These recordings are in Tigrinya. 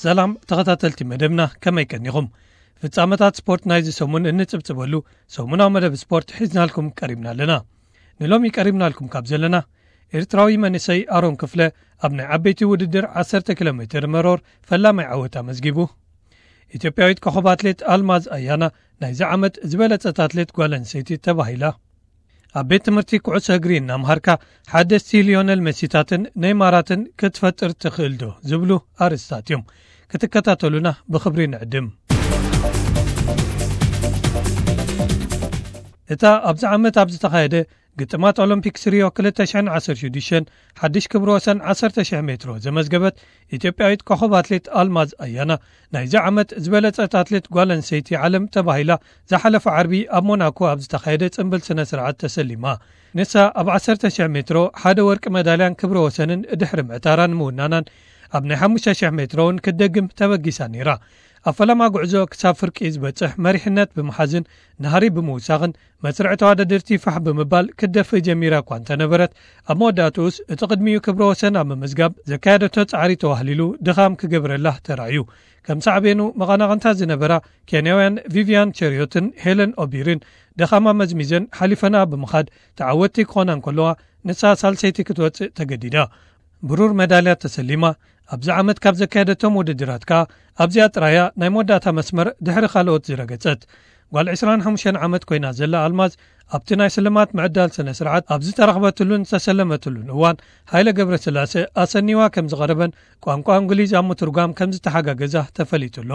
ሰላም ተኸታተልቲ መደብና፣ ከመይ ቀኒኹም? ፍጻመታት ስፖርት ናይዚ ሰሙን እንጽብጽበሉ ሰሙናዊ መደብ ስፖርት ሒዝናልኩም ቀሪብና ኣለና። ንሎሚ ቀሪብናልኩም ካብ ዘለና፣ ኤርትራዊ መንእሰይ ኣሮን ክፍለ ኣብ ናይ ዓበይቲ ውድድር ዓሰርተ ኪሎ ሜትር መሮር ፈላማይ ዓወት ኣመዝጊቡ። ኢትዮጵያዊት ኮኸብ ኣትሌት ኣልማዝ ኣያና ናይዚ ዓመት ዝበለጸት ኣትሌት ጓል ኣንስተይቲ ተባሂላ። ኣብ ቤት ትምህርቲ ኩዕሶ እግሪ እናምሃርካ ሓደስቲ ሊዮነል መሲታትን ኔይማራትን ክትፈጥር ትኽእል ዶ ዝብሉ ኣርእስታት እዮም። ክትከታተሉና ብኽብሪ ንዕድም። እታ ኣብዚ ዓመት ኣብ ዝተኻየደ ግጥማት ኦሎምፒክስ ሪዮ ክልተ ሽሕን ዓሰርተ ሽዱሽተን ሓድሽ ክብረ ወሰን ዓሰርተ ሽሕ ሜትሮ ዘመዝገበት ኢትዮጵያዊት ኮኸብ ኣትሌት ኣልማዝ ኣያና ናይዚ ዓመት ዝበለጸት ኣትሌት ጓል ኣንስተይቲ ዓለም ተባሂላ ዝሓለፈ ዓርቢ ኣብ ሞናኮ ኣብ ዝተኻየደ ጽምብል ስነ ስርዓት ተሰሊማ። ንሳ ኣብ ዓሰርተ ሽሕ ሜትሮ ሓደ ወርቂ መዳልያን ክብረ ወሰንን ድሕሪ ምዕታራን ምውናናን፣ ኣብ ናይ ሓሙሽተ ሽሕ ሜትሮ እውን ክትደግም ተበጊሳ ነይራ። ኣብ ፈለማ ጉዕዞ ክሳብ ፍርቂ ዝበጽሕ መሪሕነት ብምሓዝን ናህሪ ብምውሳኽን መስርዕ ተዋዳደርቲ ፋሕ ብምባል ክትደፍእ ጀሚራ እኳ እንተነበረት፣ ኣብ መወዳእትኡስ እቲ ቅድሚኡ ክብረ ወሰን ኣብ ምምዝጋብ ዘካየደቶ ጻዕሪ ተዋህሊሉ ድኻም ክገብረላ ተራእዩ። ከም ሳዕቤኑ መቐናቕንታ ዝነበራ ኬንያውያን ቪቪያን ቸሪዮትን ሄለን ኦቢርን ድኻማ መዝሚዘን ሓሊፈና ብምኻድ ተዓወትቲ ክኾና እንከለዋ፣ ንሳ ሳልሰይቲ ክትወጽእ ተገዲዳ። ብሩር መዳልያ ተሰሊማ። ኣብዚ ዓመት ካብ ዘካየደቶም ውድድራት ከኣ ኣብዚኣ ጥራያ ናይ መወዳእታ መስመር ድሕሪ ካልኦት ዝረገጸት። ጓል ዕስራን ሓሙሽተን ዓመት ኮይና ዘላ ኣልማዝ ኣብቲ ናይ ስልማት ምዕዳል ስነ ስርዓት ኣብ ዝተረኽበትሉን ዝተሰለመትሉን እዋን፣ ሃይለ ገብረስላሴ ኣሰኒዋ ከም ዝቐረበን ቋንቋ እንግሊዝ ኣብ ምትርጓም ከም ዝተሓጋገዛ ተፈሊጡ ኣሎ።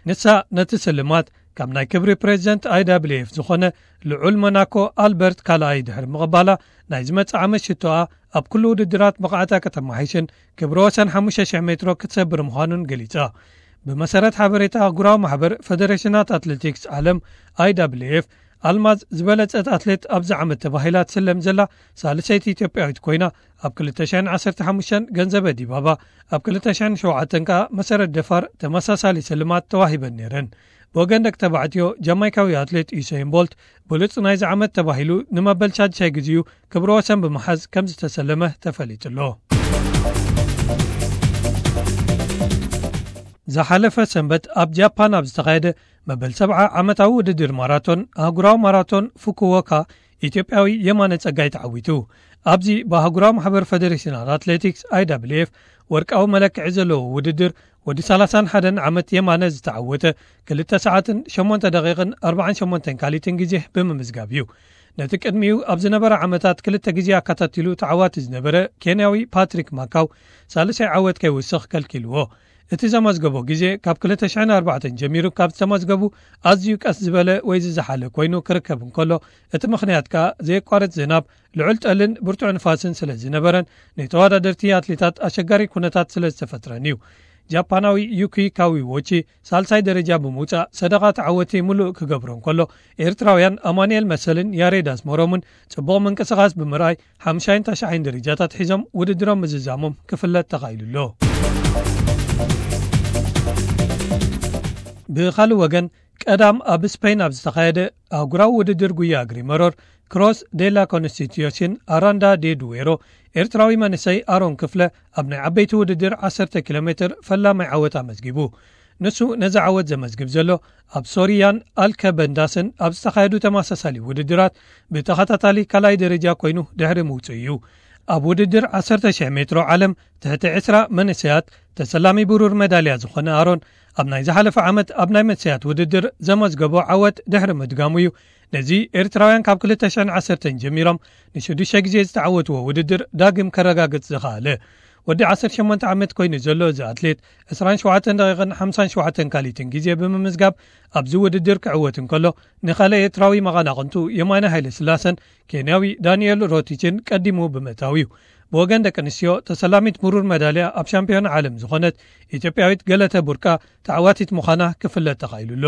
ንሳ ነቲ ስልማት ካብ ናይ ክብሪ ፕሬዚደንት ኣይ ዳብልዩ ኤፍ ዝኾነ ልዑል ሞናኮ ኣልበርት ካልኣይ ድሕሪ ምቕባላ፣ ናይ ዝመጽእ ዓመት ሽቶኣ ኣብ ኩሉ ውድድራት ብቕዓታ ከተመሓይሽን ክብረ ወሰን ሓሙሽተ ሽሕ ሜትሮ ክትሰብር ምዃኑን ገሊጻ። ብመሰረት ሓበሬታ ኣህጉራዊ ማሕበር ፈደሬሽናት ኣትሌቲክስ ዓለም፣ ኣይ ዳብልዩ ኤፍ፣ ኣልማዝ ዝበለጸት ኣትሌት ኣብዚ ዓመት ተባሂላ ትስለም ዘላ ሳልሰይቲ ኢትዮጵያዊት ኮይና፣ ኣብ ክልተ ሽሕን ዓሰርተ ሓሙሽተን ገንዘበ ዲባባ፣ ኣብ ክልተ ሽሕን ሸውዓተን ከኣ መሰረት ደፋር ተመሳሳሊ ስልማት ተዋሂበን ነይረን። ብወገን ደቂ ተባዕትዮ፣ ጃማይካዊ ኣትሌት ዩሰይን ቦልት ብሉጽ ናይዚ ዓመት ተባሂሉ ንመበል ሻድሻይ ግዜኡ ክብረ ወሰን ብምሓዝ ከም ዝተሰለመ ተፈሊጡ ኣሎ። ዝሓለፈ ሰንበት ኣብ ጃፓን ኣብ ዝተኻየደ መበል ሰብዓ ዓመታዊ ውድድር ማራቶን፣ ኣህጉራዊ ማራቶን ፉኩዎካ፣ ኢትዮጵያዊ የማነ ጸጋይ ተዓዊቱ። ኣብዚ ብኣህጉራዊ ማሕበር ፈደሬሽናት ኣትሌቲክስ፣ ኣይ ዳብልዩ ኤፍ፣ ወርቃዊ መለክዒ ዘለዎ ውድድር፣ ወዲ ሰላሳን ሓደን ዓመት የማነ ዝተዓወተ፣ ክልተ ሰዓትን ሸሞንተ ደቂቕን ኣርባዓን ሸሞንተን ካሊትን ግዜ ብምምዝጋብ እዩ። ነቲ ቅድሚኡ ኣብ ዝነበረ ዓመታት ክልተ ግዜ ኣካታቲሉ ተዓዋቲ ዝነበረ ኬንያዊ ፓትሪክ ማካው፣ ሳልሳይ ዓወት ከይውስኽ ከልኪልዎ። እቲ ዘመዝገቦ ግዜ ካብ ክልተ ሽሕን ኣርባዕተን ጀሚሩ ካብ ዝተመዝገቡ ኣዝዩ ቀስ ዝበለ ወይ ዝዘሓለ ኮይኑ ክርከብ እንከሎ፣ እቲ ምኽንያት ከኣ ዘየቋርጽ ዝናብ፣ ልዑል ጠልን ብርቱዕ ንፋስን ስለ ዝነበረን ንተወዳደርቲ ኣትሌታት ኣሸጋሪ ኩነታት ስለ ዝተፈጥረን እዩ። ጃፓናዊ ዩኪ ካዊዎቺ ሳልሳይ ደረጃ ብምውጻእ ሰደቓ ተዓወቲ ምሉእ ክገብሮ እንከሎ፣ ኤርትራውያን ኣማኑኤል መሰልን ያሬድ ኣስመሮምን ጽቡቕ ምንቅስቓስ ብምርኣይ ሓምሻይን ታሽዓይን ደረጃታት ሒዞም ውድድሮም ምዝዛሞም ክፍለጥ ተኻኢሉ ኣሎ። ብኻልእ ወገን፣ ቀዳም ኣብ ስፔን ኣብ ዝተኻየደ ኣህጉራዊ ውድድር ጉያ እግሪ መሮር ክሮስ ዴላ ኮንስቲትዩሽን ኣራንዳ ዴ ዱዌሮ፣ ኤርትራዊ መንእሰይ ኣሮን ክፍለ ኣብ ናይ ዓበይቲ ውድድር ዓሰርተ ኪሎ ሜትር ፈላማይ ዓወት ኣመዝጊቡ። ንሱ ነዚ ዓወት ዘመዝግብ ዘሎ ኣብ ሶሪያን ኣልከበንዳስን ኣብ ዝተኻየዱ ተመሳሳሊ ውድድራት ብተኸታታሊ ካልኣይ ደረጃ ኮይኑ ድሕሪ ምውጽኡ እዩ። ኣብ ውድድር ዓሰርተ ሽሕ ሜትሮ ዓለም ትሕቲ ዕስራ መንእሰያት ተሰላሚ ብሩር መዳልያ ዝኾነ ኣሮን ኣብ ናይ ዝሓለፈ ዓመት ኣብ ናይ መንእሰያት ውድድር ዘመዝገቦ ዓወት ድሕሪ ምድጋሙ እዩ ነዚ ኤርትራውያን ካብ ክልተ ሽሕን ዓሰርተን ጀሚሮም ንሽዱሽተ ግዜ ዝተዓወትዎ ውድድር ዳግም ከረጋግጽ ዝኸኣለ። ወዲ ዓሰርተ ሸሞንተ ዓመት ኮይኑ ዘሎ እዚ ኣትሌት ዕስራን ሸውዓተን ደቂቕን ሓምሳን ሸውዓተን ካሊትን ግዜ ብምምዝጋብ ኣብዚ ውድድር ክዕወት እንከሎ፣ ንኻልእ ኤርትራዊ መቐናቕንቱ የማነ ሃይለ ስላሰን ኬንያዊ ዳንኤል ሮቲችን ቀዲሙ ብምእታው እዩ። ብወገን ደቂ ኣንስትዮ ተሰላሚት ብሩር መዳልያ ኣብ ሻምፒዮን ዓለም ዝኾነት ኢትዮጵያዊት ገለተ ቡርቃ ተዓዋቲት ምዃና ክፍለጥ ተኻኢሉ ኣሎ።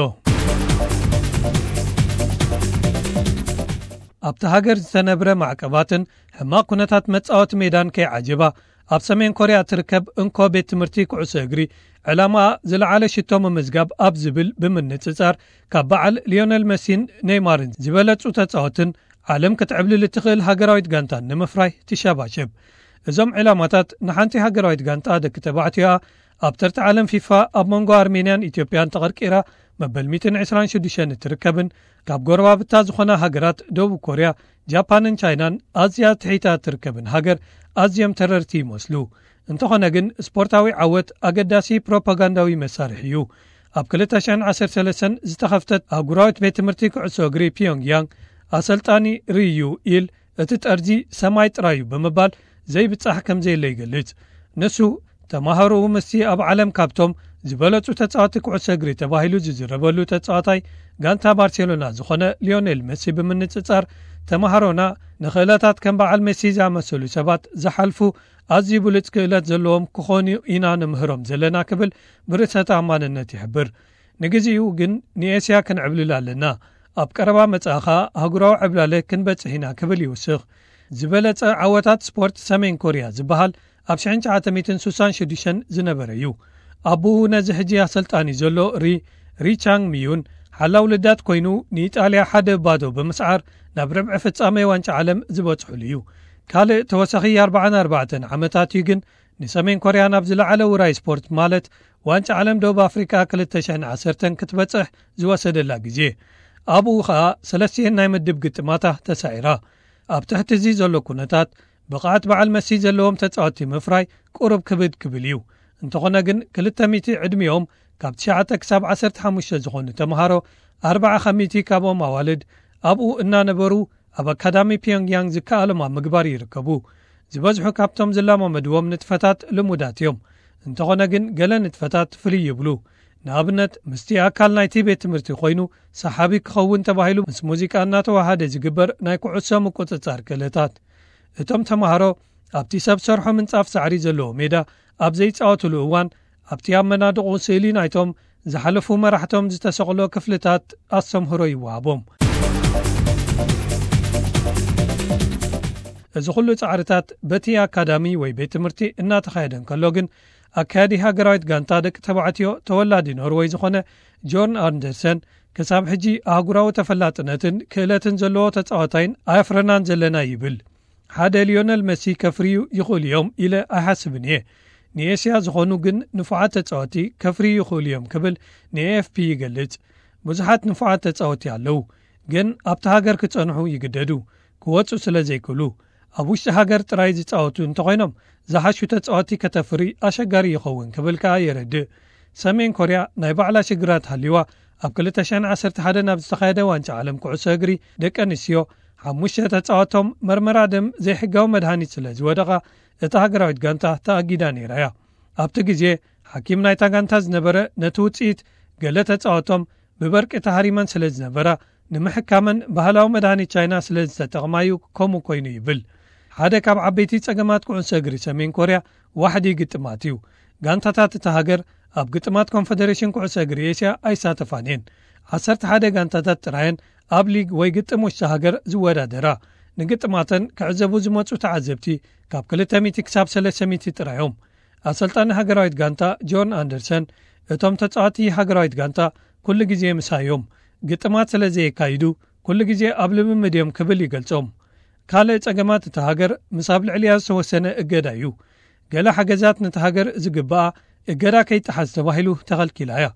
ኣብቲ ሃገር ዝተነብረ ማዕቀባትን ሕማቕ ኩነታት መጻወቲ ሜዳን ከይዓጀባ፣ ኣብ ሰሜን ኮርያ እትርከብ እንኮ ቤት ትምህርቲ ኩዕሶ እግሪ፣ ዕላማኣ ዝለዓለ ሽቶ ምምዝጋብ ኣብ ዝብል ብምንጽጻር፣ ካብ በዓል ሊዮነል መሲን ኔይማርን ዝበለጹ ተጻወትን ዓለም ክትዕብልል እትኽእል ሃገራዊት ጋንታን ንምፍራይ ትሸባሸብ። እዞም ዕላማታት ንሓንቲ ሃገራዊት ጋንታ ደቂ ተባዕትዮኣ ኣብ ተርታ ዓለም ፊፋ ኣብ መንጎ ኣርሜንያን ኢትዮጵያን ተቐርቂራ መበል ሚእትን ዕስራን ሽዱሽተን እትርከብን ካብ ጎረባብታ ዝኾና ሃገራት ደቡብ ኮርያ፣ ጃፓንን ቻይናን ኣዝያ ትሒታ እትርከብን ሃገር ኣዝዮም ተረርቲ ይመስሉ። እንተኾነ ግን ስፖርታዊ ዓወት ኣገዳሲ ፕሮፓጋንዳዊ መሳርሒ እዩ። ኣብ ክልተ ሽሕን ዓሰርተ ሰለስተን ዝተኸፍተት ኣህጉራዊት ቤት ትምህርቲ ኩዕሶ እግሪ ፒዮንግያንግ ኣሰልጣኒ ሪዩ ኢል እቲ ጠርዚ ሰማይ ጥራይ እዩ ብምባል ዘይብጻሕ ከም ዘየለ ይገልጽ። ንሱ ተማሃሮኡ ምስቲ ኣብ ዓለም ካብቶም ዝበለጹ ተጻዋቲ ኩዕሶ እግሪ ተባሂሉ ዝዝረበሉ ተጻዋታይ ጋንታ ባርሴሎና ዝኾነ ሊዮኔል መሲ ብምንጽጻር፣ ተማሃሮና ንኽእለታት ከም በዓል መሲ ዝኣመሰሉ ሰባት ዝሓልፉ ኣዝዩ ብሉጽ ክእለት ዘለዎም ክኾኑ ኢና ንምህሮም ዘለና ክብል ብርእሰ ተኣማንነት ይሕብር። ንግዜኡ ግን ንኤስያ ክንዕብልል ኣለና። ኣብ ቀረባ መጻኢ ኸኣ ኣህጉራዊ ዕብላለ ክንበጽሕ ኢና ክብል ይውስኽ። ዝበለጸ ዓወታት ስፖርት ሰሜን ኮርያ ዝበሃል ኣብ ሽሕን ትሽዓተ ሚእትን ስሳን ሽዱሽተን ዝነበረ እዩ። ኣቦኡ ነዚ ሕጂ ኣሰልጣኒ ዘሎ ሪ፣ ሪ ቻንግ ሚዩን ሓላው ልዳት ኮይኑ ንኢጣልያ ሓደ ባዶ ብምስዓር ናብ ርብዒ ፍጻሜ ዋንጫ ዓለም ዝበጽሑሉ እዩ። ካልእ ተወሳኺ ኣርባዓን ኣርባዕተን ዓመታት እዩ ግን ንሰሜን ኮርያ ናብ ዝለዓለ ውራይ ስፖርት ማለት ዋንጫ ዓለም ደቡብ ኣፍሪቃ ክልተ ሽሕን ዓሰርተን ክትበጽሕ ዝወሰደላ ግዜ። ኣብኡ ኸኣ ሰለስቲኤን ናይ ምድብ ግጥማታ ተሳዒራ። ኣብ ትሕቲ እዚ ዘሎ ኩነታት ብቕዓት በዓል መሲ ዘለዎም ተጻወቲ ምፍራይ ቁሩብ ክብድ ክብል እዩ። እንተኾነ ግን ክልተ ሚእቲ ዕድሚኦም ካብ ትሽዓተ ክሳብ ዓሰርተ ሓሙሽተ ዝኾኑ ተምሃሮ ኣርባዓ ካብ ሚእቲ ካብኦም ኣዋልድ ኣብኡ እናነበሩ ኣብ ኣካዳሚ ፒዮንግያንግ ዝከኣሎም ኣብ ምግባር ይርከቡ። ዝበዝሑ ካብቶም ዝለማመድዎም ንጥፈታት ልሙዳት እዮም። እንተኾነ ግን ገለ ንጥፈታት ፍልይ ይብሉ። ንኣብነት ምስቲ ኣካል ናይቲ ቤት ትምህርቲ ኮይኑ ሰሓቢ ክኸውን ተባሂሉ ምስ ሙዚቃ እናተዋሃደ ዝግበር ናይ ኩዕሶ ምቁጽጻር ክእለታት። እቶም ተምሃሮ ኣብቲ ሰብ ሰርሖ ምንጻፍ ሳዕሪ ዘለዎ ሜዳ ኣብ ዘይጻወቱሉ እዋን ኣብቲ ኣብ መናድቑ ስእሊ ናይቶም ዝሓለፉ መራሕቶም ዝተሰቕሎ ክፍልታት ኣስተምህሮ ይወሃቦም። እዚ ኩሉ ጻዕርታት በቲ ኣካዳሚ ወይ ቤት ትምህርቲ እናተኻየደ እንከሎ ግን ኣካያዲ ሃገራዊት ጋንታ ደቂ ተባዕትዮ ተወላዲ ኖርወይ ዝኾነ ጆርን ኣንደርሰን ክሳብ ሕጂ ኣህጉራዊ ተፈላጥነትን ክእለትን ዘለዎ ተጻዋታይን ኣየፍረናን ዘለና ይብል። ሓደ ሊዮነል መሲ ከፍርዩ ይኽእሉ እዮም ኢለ ኣይሓስብን እየ። ንኤስያ ዝኾኑ ግን ንፉዓት ተጻወቲ ከፍርዩ ይኽእሉ እዮም ክብል ንኤኤፍፒ ይገልጽ። ብዙሓት ንፉዓት ተጻወቲ ኣለዉ፣ ግን ኣብቲ ሃገር ክጸንሑ ይግደዱ፣ ክወጹ ስለ ዘይክእሉ። ኣብ ውሽጢ ሃገር ጥራይ ዝጻወቱ እንተኾይኖም ዝሓሹ ተጻወቲ ከተፍሪ ኣሸጋሪ ይኸውን ክብል ከኣ የረድእ። ሰሜን ኮርያ ናይ ባዕላ ሽግራት ሃልይዋ ኣብ ክልተ ሽሕን ዓሰርተ ሓደን ኣብ ዝተኻየደ ዋንጫ ዓለም ኩዕሶ እግሪ ደቂ ኣንስትዮ ሓሙሽተ ተጻወቶም መርመራ ደም ዘይሕጋዊ መድሃኒት ስለ ዝወደቓ እታ ሃገራዊት ጋንታ ተኣጊዳ ነይራ እያ። ኣብቲ ግዜ ሓኪም ናይታ ጋንታ ዝነበረ ነቲ ውጽኢት ገለ ተጻወቶም ብበርቂ ተሃሪመን ስለ ዝነበራ ንምሕካመን ባህላዊ መድሃኒት ቻይና ስለ ዝተጠቕማ እዩ ከምኡ ኮይኑ ይብል። ሓደ ካብ ዓበይቲ ጸገማት ኩዕሶ እግሪ ሰሜን ኮርያ ዋሕዲ ግጥማት እዩ። ጋንታታት እታ ሃገር ኣብ ግጥማት ኮንፈደሬሽን ኩዕሶ እግሪ ኤስያ ኣይሳተፋን እየን። ዓሰርተ ሓደ ጋንታታት ጥራየን ኣብ ሊግ ወይ ግጥም ውሽጢ ሃገር ዝወዳደራ። ንግጥማተን ክዕዘቡ ዝመጹ ተዓዘብቲ ካብ ክልተ ሚእቲ ክሳብ ሰለስተ ሚእቲ ጥራዮም። ኣሰልጣኒ ሃገራዊት ጋንታ ጆን ኣንደርሰን፣ እቶም ተጻዋቲ ሃገራዊት ጋንታ ኩሉ ግዜ ምሳዮም፣ ግጥማት ስለ ዘየካይዱ ኩሉ ግዜ ኣብ ልምምድ እዮም ክብል ይገልጾም። ካልእ ጸገማት እታ ሃገር ምስ ኣብ ልዕሊያ ዝተወሰነ እገዳ እዩ። ገለ ሓገዛት ነታ ሃገር ዝግብኣ እገዳ ከይጠሓስ ተባሂሉ ተኸልኪላ እያ።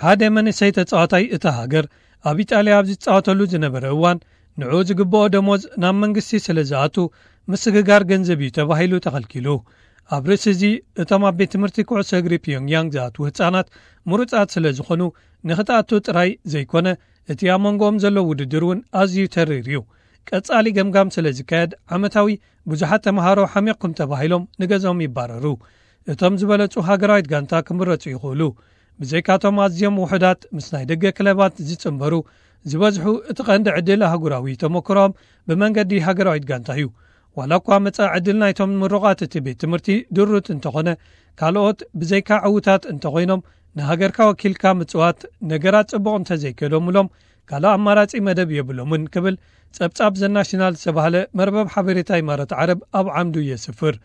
ሓደ መንእሰይ ተጻዋታይ እታ ሃገር ኣብ ኢጣልያ ኣብ ዝጻወተሉ ዝነበረ እዋን ንዕኡ ዝግብኦ ደሞዝ ናብ መንግስቲ ስለ ዝኣቱ ምስግጋር ገንዘብ እዩ ተባሂሉ ተኸልኪሉ። ኣብ ርእሲ እዚ እቶም ኣብ ቤት ትምህርቲ ኩዕሶ እግሪ ፒዮንግያንግ ዝኣትዉ ህጻናት ምሩጻት ስለ ዝኾኑ ንኽትኣቱ ጥራይ ዘይኮነ እቲ ኣብ መንጎኦም ዘሎ ውድድር እውን ኣዝዩ ተሪር እዩ። ቀጻሊ ገምጋም ስለ ዝካየድ ዓመታዊ ብዙሓት ተምሃሮ ሓሚቕኩም ተባሂሎም ንገዝኦም ይባረሩ። እቶም ዝበለጹ ሃገራዊት ጋንታ ክምረጹ ይኽእሉ። ብዘይካቶም ኣዝዮም ውሑዳት ምስ ናይ ደገ ክለባት ዝጽንበሩ ዝበዝሑ እቲ ቀንዲ ዕድል ኣህጉራዊ ተመክሮኦም ብመንገዲ ሃገራዊት ጋንታ እዩ። ዋላ እኳ መጻኢ ዕድል ናይቶም ምሩቓት እቲ ቤት ትምህርቲ ድሩት እንተኾነ ካልኦት ብዘይካ ዕዉታት እንተኾይኖም ንሃገርካ ወኪልካ ምጽዋት ነገራት ጽቡቕ እንተዘይከዶምሎም ካልእ ኣማራጺ መደብ የብሎምን ክብል ጸብጻብ ዘናሽናል ዝተባህለ መርበብ ሓበሬታ ኢማራት ዓረብ ኣብ ዓምዱ የስፍር።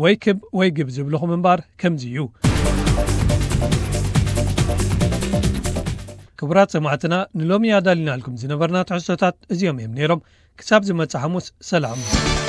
ወይ ክብ ወይ ግብ ዝብልኹም እምበር ከምዚ እዩ። ክቡራት ሰማዕትና ንሎሚ ኣዳሊናልኩም ዝነበርና ትሕዝቶታት እዚኦም እዮም ነይሮም። ክሳብ ዝመጽእ ሓሙስ ሰላም።